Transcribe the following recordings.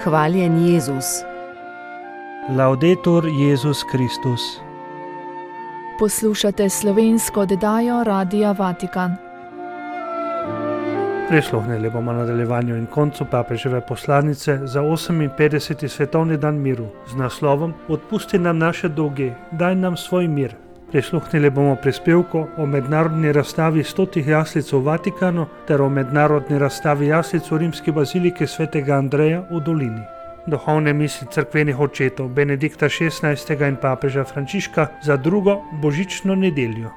Hvaljen Jezus. Laudetur Jezus Kristus. Poslušate slovensko oddajo Radia Vatikan. Prisluhnili bomo nadaljevanju in koncu papeževe poslanice za 58. svetovni dan miru z naslovom Odpusti nam naše dolge, daj nam svoj mir. Prisluhnili bomo prispevku o mednarodni razstavi 100 jaslic v Vatikanu ter o mednarodni razstavi jaslic v rimski baziliki svetega Andreja v Dolini. Duhovne misli cerkvenih očetov Benedikta XVI. In papeža Frančiška za drugo božično nedeljo.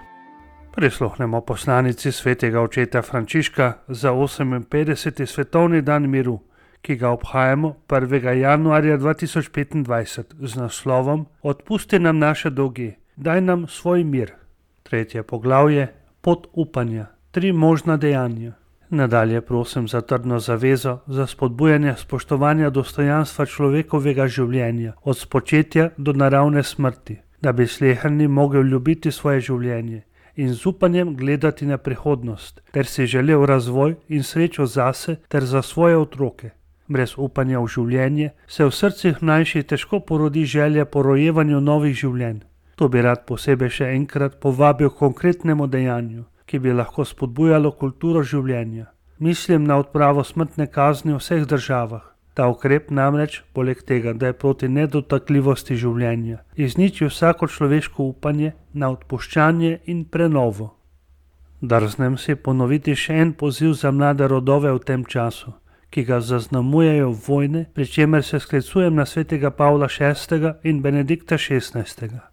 Prisluhnemo poslanici svetega očeta Frančiška za 58. svetovni dan miru, ki ga obhajamo 1. januarja 2025 z naslovom Odpusti nam naše dolge, daj nam svoj mir. 3. poglavje Pot upanja, 3 možna dejanja. Nadalje prosim za trdno zavezo za spodbujanje spoštovanja dostojanstva človekovega življenja od spočetja do naravne smrti, da bi sleherni mogel ljubiti svoje življenje in z upanjem gledati na prihodnost, ter si želel razvoj in srečo zase ter za svoje otroke. Brez upanja v življenje se v srcih mlajših težko porodi želja po rojevanju novih življenj. To bi rad posebej še enkrat povabil k konkretnemu dejanju, ki bi lahko spodbujalo kulturo življenja. Mislim na odpravo smrtne kazni v vseh državah. Ta ukrep namreč, poleg tega, da je proti nedotakljivosti življenja, izniči vsako človeško upanje na odpuščanje in prenovo. Drznem si ponoviti še en poziv za mlade rodove v tem času, ki ga zaznamujejo vojne, pri čemer se sklicujem na svetega Pavla VI. In Benedikta XVI.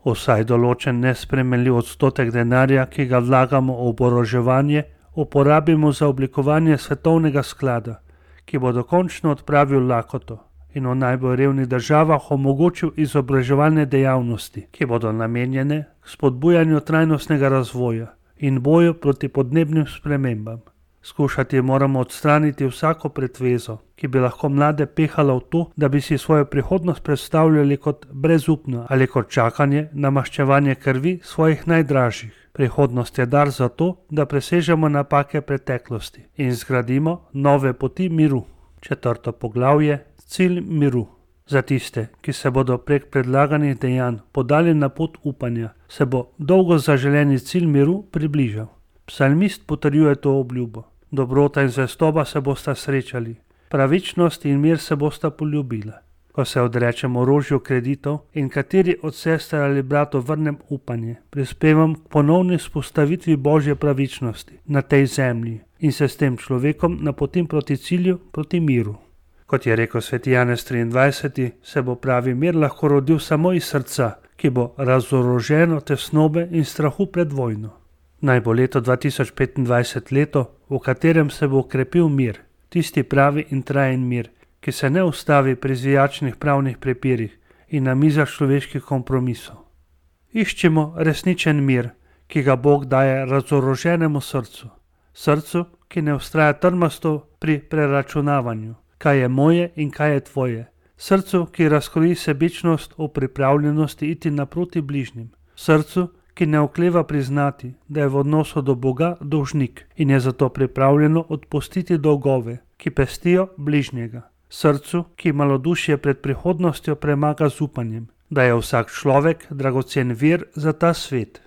Vsaj določen nespremenljiv odstotek denarja, ki ga vlagamo v oboroževanje, uporabimo za oblikovanje svetovnega sklada, ki bo dokončno odpravil lakoto in v najbolj revnih državah omogočil izobraževalne dejavnosti, ki bodo namenjene k spodbujanju trajnostnega razvoja in boju proti podnebnim spremembam. Skušati moramo odstraniti vsako pretvezo, ki bi lahko mlade pehala v to, da bi si svojo prihodnost predstavljali kot brezupno ali kot čakanje na maščevanje krvi svojih najdražjih. Prihodnost je dar za to, da presežemo napake preteklosti in zgradimo nove poti miru. 4. poglavje Cilj miru. Za tiste, ki se bodo prek predlaganih dejanj podali na pot upanja, se bo dolgo zaželeni cilj miru približal. Psalmist potrjuje to obljubo. Dobrota in zvestoba se bosta srečali, pravičnost in mir se bosta poljubila. Ko se odrečem orožju kreditov in kateri od sester ali bratov vrnem upanje, prispevam k ponovni vzpostavitvi Božje pravičnosti na tej zemlji in se s tem človekom napotim proti cilju, proti miru. Kot je rekel sveti Janez 23, se bo pravi mir lahko rodil samo iz srca, ki bo razoroženo tesnobe in strahu pred vojno. Naj bo leto 2025 leto, v katerem se bo okrepil mir, tisti pravi in trajen mir, ki se ne ustavi pri zvijačnih pravnih prepirih in na mizah človeških kompromisov. Iščimo resničen mir, ki ga Bog daje razoroženemu srcu, srcu, ki ne vztraja trmasto pri preračunavanju, kaj je moje in kaj je tvoje, srcu, ki razkroji sebičnost v pripravljenosti iti naproti bližnjim, srcu, ki ne okleva priznati, da je v odnosu do Boga dolžnik in je zato pripravljeno odpustiti dolgove, ki pestijo bližnjega. Srcu, ki malodušje pred prihodnostjo premaga z upanjem, da je vsak človek dragocen vir za ta svet.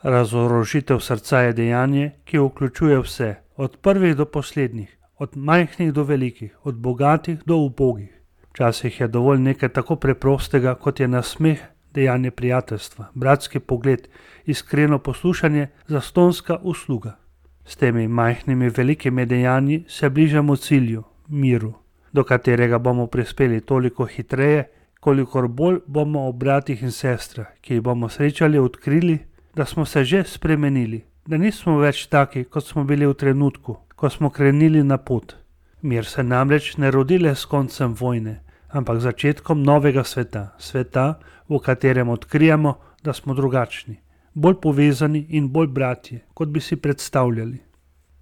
Razorožitev srca je dejanje, ki vključuje vse, od prvih do poslednjih, od majhnih do velikih, od bogatih do ubogih. Včasih je dovolj nekaj tako preprostega, kot je nasmeh, dejanje prijateljstva, bratski pogled, iskreno poslušanje, zastonska usluga. S temi majhnimi velikimi dejanji se bližamo cilju, miru, do katerega bomo prispeli toliko hitreje, kolikor bolj bomo ob bratih in sestrah, ki jih bomo srečali, odkrili, da smo se že spremenili, da nismo več taki, kot smo bili v trenutku, ko smo krenili na pot. Mir se namreč ne rodi le s koncem vojne, ampak začetkom novega sveta, sveta, v katerem odkrijemo, da smo drugačni, bolj povezani in bolj bratje, kot bi si predstavljali.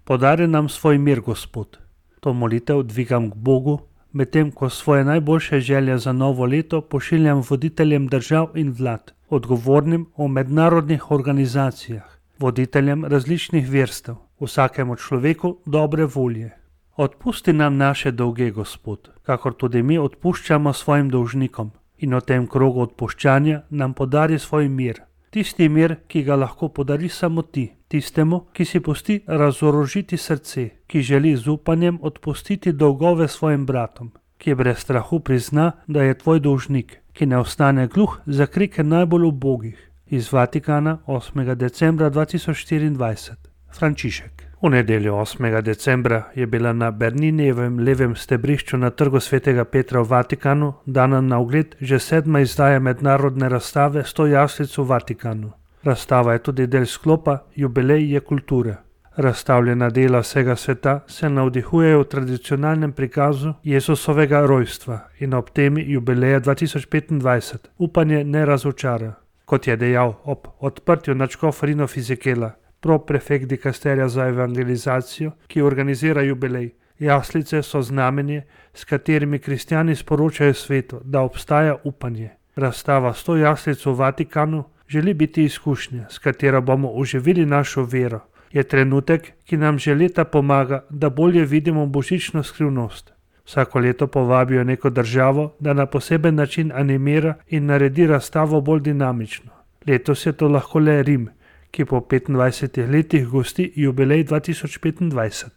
Podari nam svoj mir, Gospod. To molitev dvigam k Bogu, medtem ko svoje najboljše želje za novo leto pošiljam voditeljem držav in vlad, odgovornim v mednarodnih organizacijah, voditeljem različnih verstev, vsakemu človeku dobre volje. Odpusti nam naše dolge, Gospod, kakor tudi mi odpuščamo svojim dolžnikom, in v tem krogu odpuščanja nam podari svoj mir. Tisti mir, ki ga lahko podari samo ti, tistemu, ki si pusti razorožiti srce, ki želi z upanjem odpustiti dolgove svojim bratom, ki brez strahu prizna, da je tvoj dolžnik, ki ne ostane gluh za krike najbolj ubogih. Iz Vatikana 8. decembra 2024. Frančišek. V nedeljo 8. decembra je bila na Berninijevem levem stebrišču na trgu svetega Petra v Vatikanu dana na ogled že 7. izdaja mednarodne razstave 100 jaslic v Vatikanu. Razstava je tudi del sklopa Jubilej je kulture. Razstavljena dela vsega sveta se navdihujejo v tradicionalnem prikazu Jezusovega rojstva in ob temi jubileja 2025 upanje ne razočara. Kot je dejal ob odprtju nadškof Rino Fizikela, proprefekt dikasterija za evangelizacijo, ki organizira jubilej. Jaslice so znamenje, s katerimi kristjani sporočajo svetu, da obstaja upanje. Razstava 100 jaslic v Vatikanu želi biti izkušnja, s katero bomo oživili našo vero. Je trenutek, ki nam že leta pomaga, da bolje vidimo božično skrivnost. Vsako leto povabijo neko državo, da na poseben način animira in naredi razstavo bolj dinamično. Letos je to lahko le Rim, ki po 25 letih gosti jubilej 2025.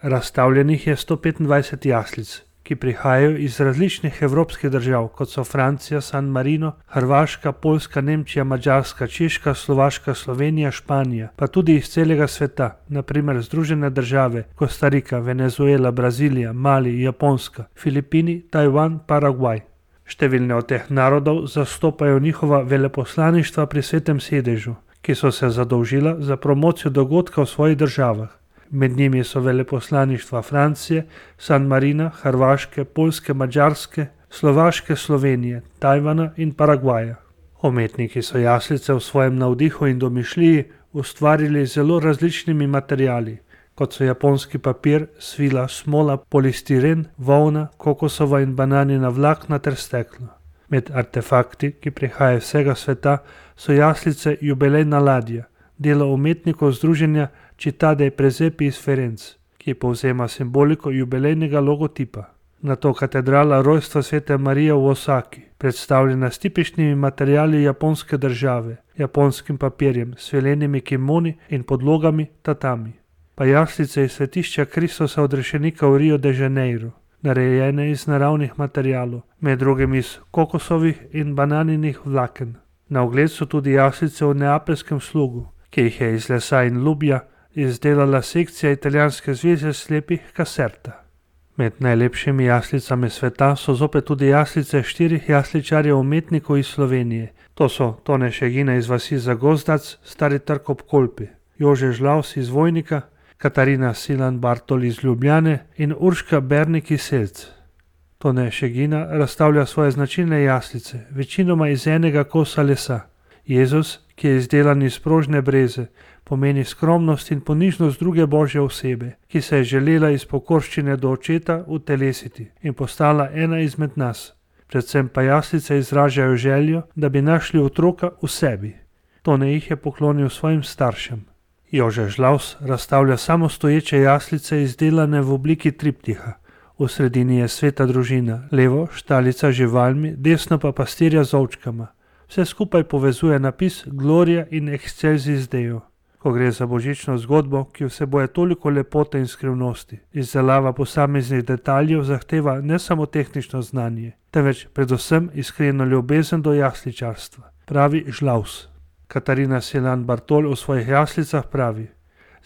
Razstavljenih je 125 jaslic, ki prihajajo iz različnih evropskih držav, kot so Francija, San Marino, Hrvaška, Poljska, Nemčija, Madžarska, Češka, Slovaška, Slovenija, Španija, pa tudi iz celega sveta, naprimer Združene države, Kostarika, Venezuela, Brazilija, Mali, Japonska, Filipini, Tajvan, Paragvaj. Številne od teh narodov zastopajo njihova veleposlaništva pri Svetem sedežu, ki so se zadolžila za promocijo dogodka v svojih državah. Med njimi so veleposlaništva Francije, San Marina, Hrvaške, Poljske, Madžarske, Slovaške, Slovenije, Tajvana in Paragvaja. Umetniki so jaslice v svojem navdihu in domišljiji ustvarili z zelo različnimi materiali, kot so japonski papir, svila, smola, polistiren, volna, kokosova in bananina vlakna ter steklo. Med artefakti, ki prihajajo iz vsega sveta, so jaslice Jubilejna ladja, delo umetnikov združenja Città Presepi iz Firenze, ki povzema simboliko jubilejnega logotipa. Nato katedrala rojstva svete Marije v Osaki, predstavljena s tipičnimi materiali japonske države, japonskim papirjem, svilenimi kimoni in podlogami tatami. Pa jaslice iz svetišča Kristusa odrešenika v Rio de Janeiro, narejene iz naravnih materialov, med drugim iz kokosovih in bananinih vlaken. Na ogled so tudi jaslice v neapeljskem slugu, ki jih je iz lesa in lubja izdelala sekcija italijanske zveze slepih Caserta. Med najlepšimi jaslicami sveta so zopet tudi jaslice 4 jasličarjev umetnikov iz Slovenije. To so Tone Šegina iz vasi Zagozdac, Stari Trg ob Kolpi, Jože Žlaus iz Vojnika, Katarina Silan Bartol iz Ljubljane in Urška Bernik iz Selc. Tone Šegina razstavlja svoje značilne jaslice, večinoma iz enega kosa lesa. Jezus, ki je izdelan iz prožne breze, pomeni skromnost in ponižnost druge božje osebe, ki se je želela iz pokorščine do očeta utelesiti in postala ena izmed nas. Predvsem pa jaslice izražajo željo, da bi našli otroka v sebi. Tone jih je poklonil svojim staršem. Jože Žlaus razstavlja samostoječe jaslice izdelane v obliki triptiha. V sredini je sveta družina, levo štalica z živalmi, desno pa pastirja z ovčkama. Vse skupaj povezuje napis Gloria in Excelsis Deo. Ko gre za božično zgodbo, ki vseboje toliko lepote in skrivnosti, izdelava posameznih detaljev zahteva ne samo tehnično znanje, temveč predvsem iskreno ljubezen do jasličarstva, pravi Žlaus. Katarina Silan Bartol v svojih jaslicah pravi: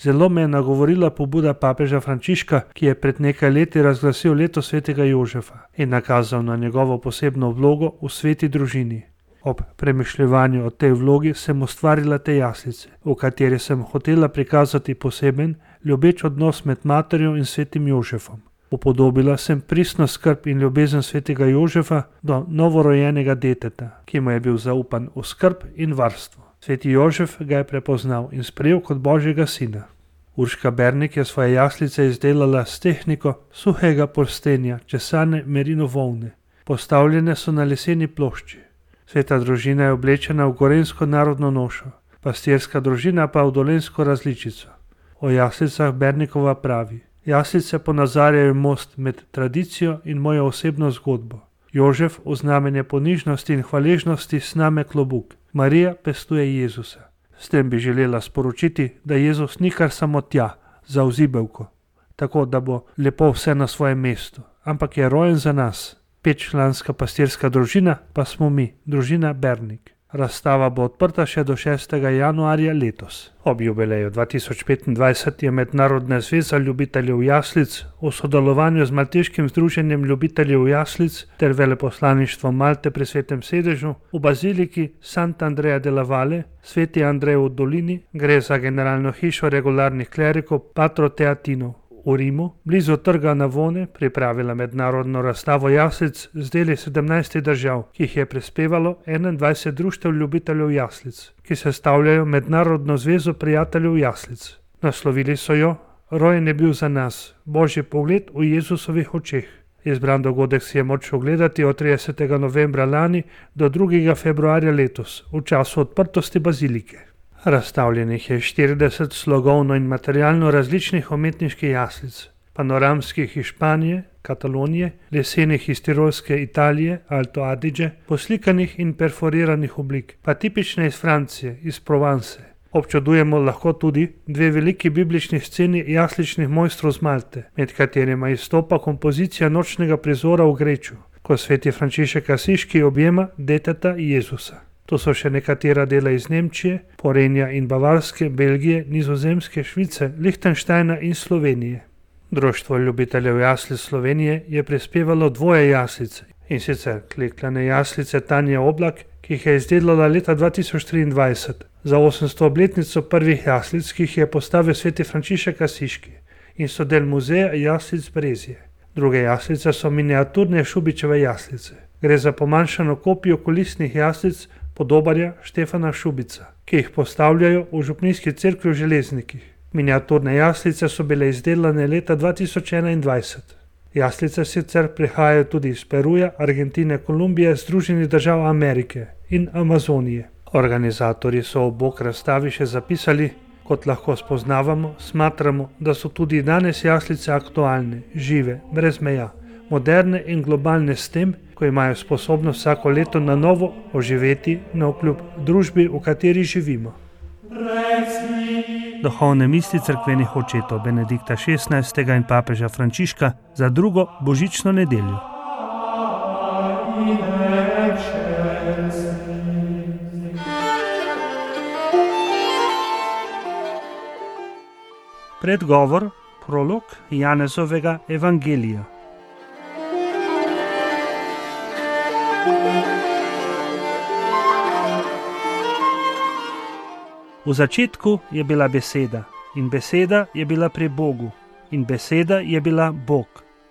Zelo me je nagovorila pobuda papeža Frančiška, ki je pred nekaj leti razglasil leto svetega Jožefa in nakazal na njegovo posebno vlogo v sveti družini. Ob premišljevanju o tej vlogi sem ustvarila te jaslice, v kateri sem hotela prikazati poseben, ljubeč odnos med materjo in svetim Jožefom. Upodobila sem pristno skrb in ljubezen svetega Jožefa do novorojenega deteta, ki mu je bil zaupan v skrb in varstvo. Sveti Jožef ga je prepoznal in sprejel kot božjega sina. Urška Bernik je svoje jaslice izdelala s tehniko suhega polstenja česane merino volne. Postavljene so na leseni plošči. Sveta družina je oblečena v gorenjsko narodno nošo, pastirska družina pa v dolenjsko različico. O jaslicah Bernikova pravi: Jaslice ponazarjajo most med tradicijo in mojo osebno zgodbo. Jožef v znamenje ponižnosti in hvaležnosti sname klobuk. Marija pestuje Jezusa. S tem bi želela sporočiti, da Jezus ni kar samo tja, za vzibelko, tako da bo lepo vse na svojem mestu, ampak je rojen za nas. 5-članska pastirska družina pa smo mi, družina Bernik. Razstava bo odprta še do 6. januarja letos. Ob jubileju 2025 je Mednarodna zveza ljubiteljev jaslic v sodelovanju z Malteškim združenjem ljubiteljev jaslic ter veleposlaništvom Malte pri Svetem sedežu v baziliki Santa Andrea della Valle, Sveti Andrej v dolini, gre za generalno hišo regularnih klerikov Patro Teatinov v Rimu, blizu trga Navone, pripravila mednarodno razstavo jaslic z deli 17 držav, ki jih je prispevalo 21 društev ljubiteljev jaslic, ki sestavljajo Mednarodno zvezo prijateljev jaslic. Naslovili so jo Rojen je bil za nas, Božji pogled v Jezusovih očeh. Izbran dogodek si je moč ogledati od 30. novembra lani do 2. februarja letos, v času odprtosti bazilike. Razstavljenih je 40 slogovno in materialno različnih umetniških jaslic, panoramskih iz Španije, Katalonije, lesenih iz Tirolske Italije, Alto Adige, poslikanih in perforiranih oblik, pa tipične iz Francije, iz Provence. Občudujemo lahko tudi dve veliki biblični sceni jasličnih mojstrov z Malte, med katerima izstopa kompozicija nočnega prizora v Greču, ko sveti Frančišek Asiški objema deteta Jezusa. To so še nekatera dela iz Nemčije, Porenja in Bavarske, Belgije, Nizozemske, Švice, Lihtenštajna in Slovenije. Društvo ljubiteljev jaslic Slovenije je prispevalo 2 jaslice, in sicer klekljane jaslice Tanje Oblak, ki jih je izdelala leta 2023 za 800 obletnico prvih jaslic, ki jih je postavil sveti Frančišek Asiški in so del muzeja jaslic Brezje. Druge jaslice so miniaturne Šubičeve jaslice. Gre za pomanjšano kopijo kulisnih jaslic podobarja Štefana Šubica, ki jih postavljajo v župnijski cerkvi v Železnikih. Miniaturne jaslice so bile izdelane leta 2021. Jaslice sicer prihajajo tudi iz Peruja, Argentine, Kolumbije, Združenih držav Amerike in Amazonije. Organizatorji so ob bok razstavi še zapisali: kot lahko spoznavamo, smatramo, da so tudi danes jaslice aktualne, žive, brez meja, moderne in globalne s tem, ko imajo sposobnost vsako leto na novo oživeti navkljub družbi, v kateri živimo. Duhovne misli cerkvenih očetov Benedikta XVI. In papeža Frančiška za drugo božično nedeljo. Predgovor, prolog Janezovega evangelija. V začetku je bila beseda, in beseda je bila pri Bogu, in beseda je bila Bog.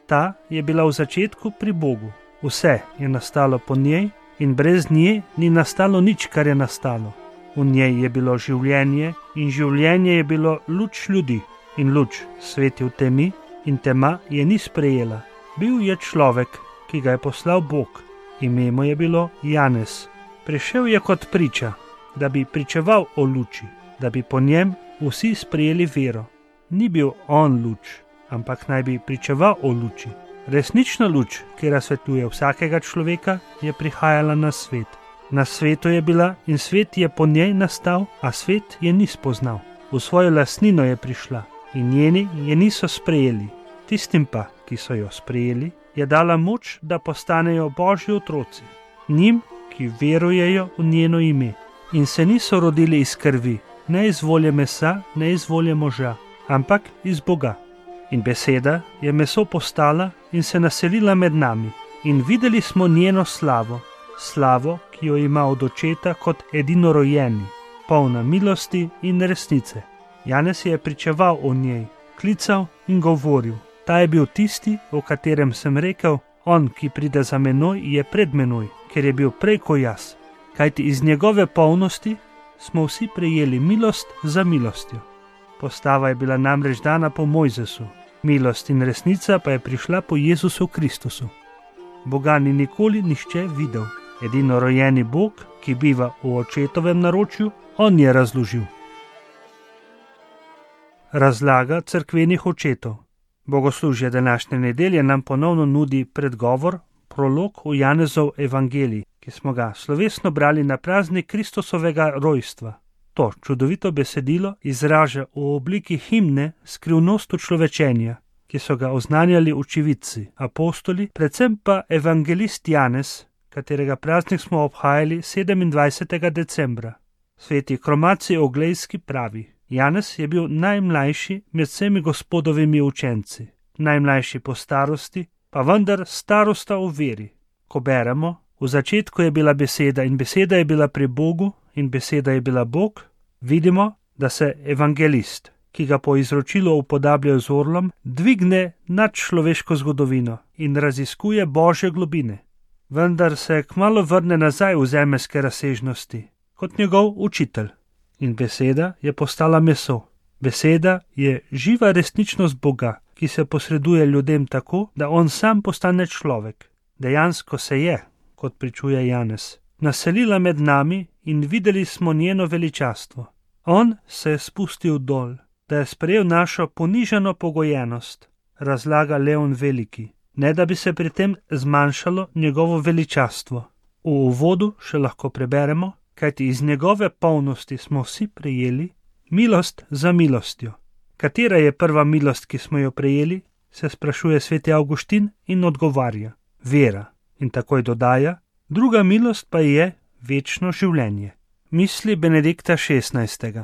Ta je bila v začetku pri Bogu. Vse je nastalo po njej in brez nje ni nastalo nič, kar je nastalo. V njej je bilo življenje in življenje je bilo luč ljudi. In luč sveti v temi in tema je ni sprejela. Bil je človek, ki ga je poslal Bog. Ime mu je bilo Janez. Prišel je kot priča, da bi pričeval o luči, da bi po njem vsi sprejeli vero. Ni bil on luč, ampak naj bi pričeval o luči. Resnična luč, ki razsvetljuje vsakega človeka, je prihajala na svet. Na svetu je bila in svet je po njej nastal, a svet je ni spoznal. V svojo lastnino je prišla in njeni je niso sprejeli. Tistim pa, ki so jo sprejeli, je dala moč, da postanejo Božji otroci. Njim, ki verujejo v njeno ime in se niso rodili iz krvi, ne iz volje mesa, ne iz volje moža, ampak iz Boga. In beseda je meso postala in se naselila med nami. In videli smo njeno slavo, slavo, ki jo ima od očeta kot edinorojenji, polna milosti in resnice. Janez je pričeval o njej, klical in govoril. Ta je bil tisti, o katerem sem rekel, on, ki pride za menoj, je pred menoj, ker je bil prej ko jaz. Kajti iz njegove polnosti smo vsi prejeli milost za milostjo. Postava je bila namreč dana po Mojzesu, milost in resnica pa je prišla po Jezusu Kristusu. Boga ni nikoli nihče videl. Edino rojeni Bog, ki biva v očetovem naročju, on je razložil. Razlaga cerkvenih očetov. Bogoslužje današnje nedelje nam ponovno nudi predgovor, prolog v Janezov evangelij, ki smo ga slovesno brali na praznik Kristusovega rojstva. To čudovito besedilo izraža v obliki himne skrivnost učlovečenja, ki so ga oznanjali očividci, apostoli, predvsem pa evangelist Janez, katerega praznik smo obhajali 27. decembra. Sveti Kromatij Oglejski pravi: Janez je bil najmlajši med vsemi Gospodovimi učenci, najmlajši po starosti, pa vendar starosta v veri. Ko beremo, v začetku je bila beseda in beseda je bila pri Bogu in beseda je bila Bog, vidimo, da se evangelist, ki ga po izročilu upodabljajo z orlom, dvigne nad človeško zgodovino in raziskuje Božje globine. Vendar se kmalu vrne nazaj v zemeljske razsežnosti, kot njegov učitelj. In beseda je postala meso. Beseda je živa resničnost Boga, ki se posreduje ljudem tako, da on sam postane človek. Dejansko se je, kot pričuje Janez, naselila med nami in videli smo njeno veličastvo. On se je spustil dol, da je sprejel našo ponižano pogojenost, razlaga Leon Veliki, ne da bi se pri tem zmanjšalo njegovo veličastvo. V uvodu še lahko preberemo, kajti iz njegove polnosti smo vsi prejeli milost za milostjo. Katera je prva milost, ki smo jo prejeli, se sprašuje sveti Avguštin in odgovarja: vera. In takoj dodaja: druga milost pa je večno življenje. Misli Benedikta XVI.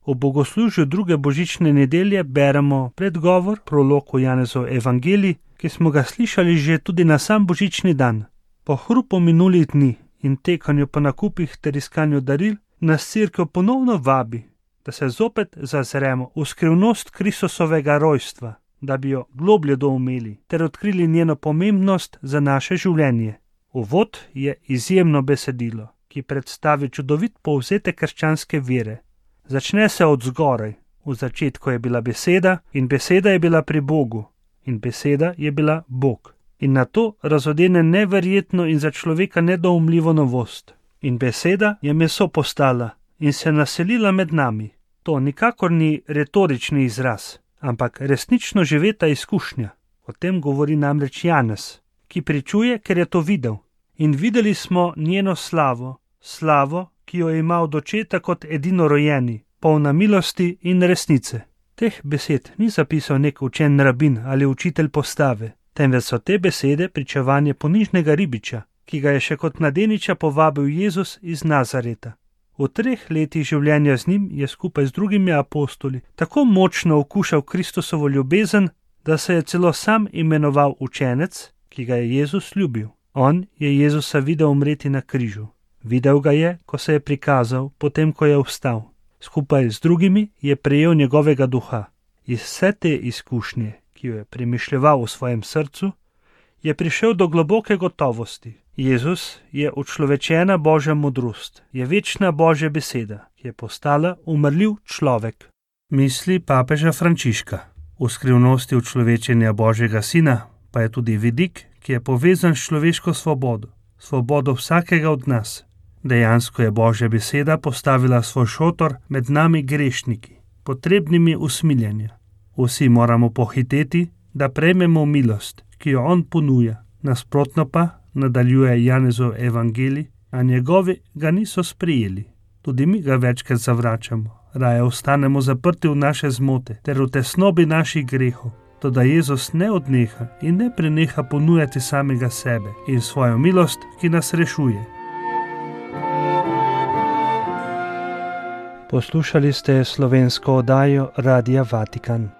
V bogoslužju druge božične nedelje beremo predgovor, prolog v Janezov evangelij, ki smo ga slišali že tudi na sam božični dan. Po hrupu minulih dni in tekanju po nakupih ter iskanju daril nas Cerkev ponovno vabi, da se zopet zazremo v skrivnost Kristusovega rojstva, da bi jo globlje doumeli ter odkrili njeno pomembnost za naše življenje. Uvod je izjemno besedilo, ki predstavi čudovit povzetek krščanske vere. Začne se od zgoraj. V začetku je bila beseda in beseda je bila pri Bogu in beseda je bila Bog. In na to razodene neverjetno in za človeka nedoumljivo novost. In beseda je meso postala in se naselila med nami. To nikakor ni retorični izraz, ampak resnično živeta izkušnja. O tem govori namreč Janez, ki pričuje, ker je to videl. In videli smo njeno slavo, slavo, ki jo ima od očeta kot edinorojeni, polna milosti in resnice. Teh besed ni zapisal nek učen rabin ali učitelj postave, temveč so te besede pričevanje ponižnega ribiča, ki ga je še kot mladeniča povabil Jezus iz Nazareta. V 3 letih življenja z njim je skupaj z drugimi apostoli tako močno okušal Kristusovo ljubezen, da se je celo sam imenoval učenec, ki ga je Jezus ljubil. On je Jezusa videl umreti na križu. Videl ga je, ko se je prikazal, potem ko je vstal. Skupaj z drugimi je prejel njegovega duha. Iz vse te izkušnje, ki jo je premišljeval v svojem srcu, je prišel do globoke gotovosti. Jezus je učlovečena Božja modrost, je večna Božja beseda, ki je postala umrljiv človek. Misli papeža Frančiška. V skrivnosti učlovečenja Božjega sina pa je tudi vidik, ki je povezan s človeško svobodo, svobodo vsakega od nas. Dejansko je Božja beseda postavila svoj šotor med nami grešniki, potrebnimi usmiljenja. Vsi moramo pohiteti, da prejmemo milost, ki jo on ponuja. Nasprotno pa, nadaljuje Janezov evangelij, a njegovi ga niso sprejeli. Tudi mi ga večkrat zavračamo, raje ostanemo zaprti v naše zmote ter v tesnobi naših grehov. Toda Jezus ne odneha in ne preneha ponujati samega sebe in svojo milost, ki nas rešuje. Poslušali ste slovensko oddajo Radia Vatikan.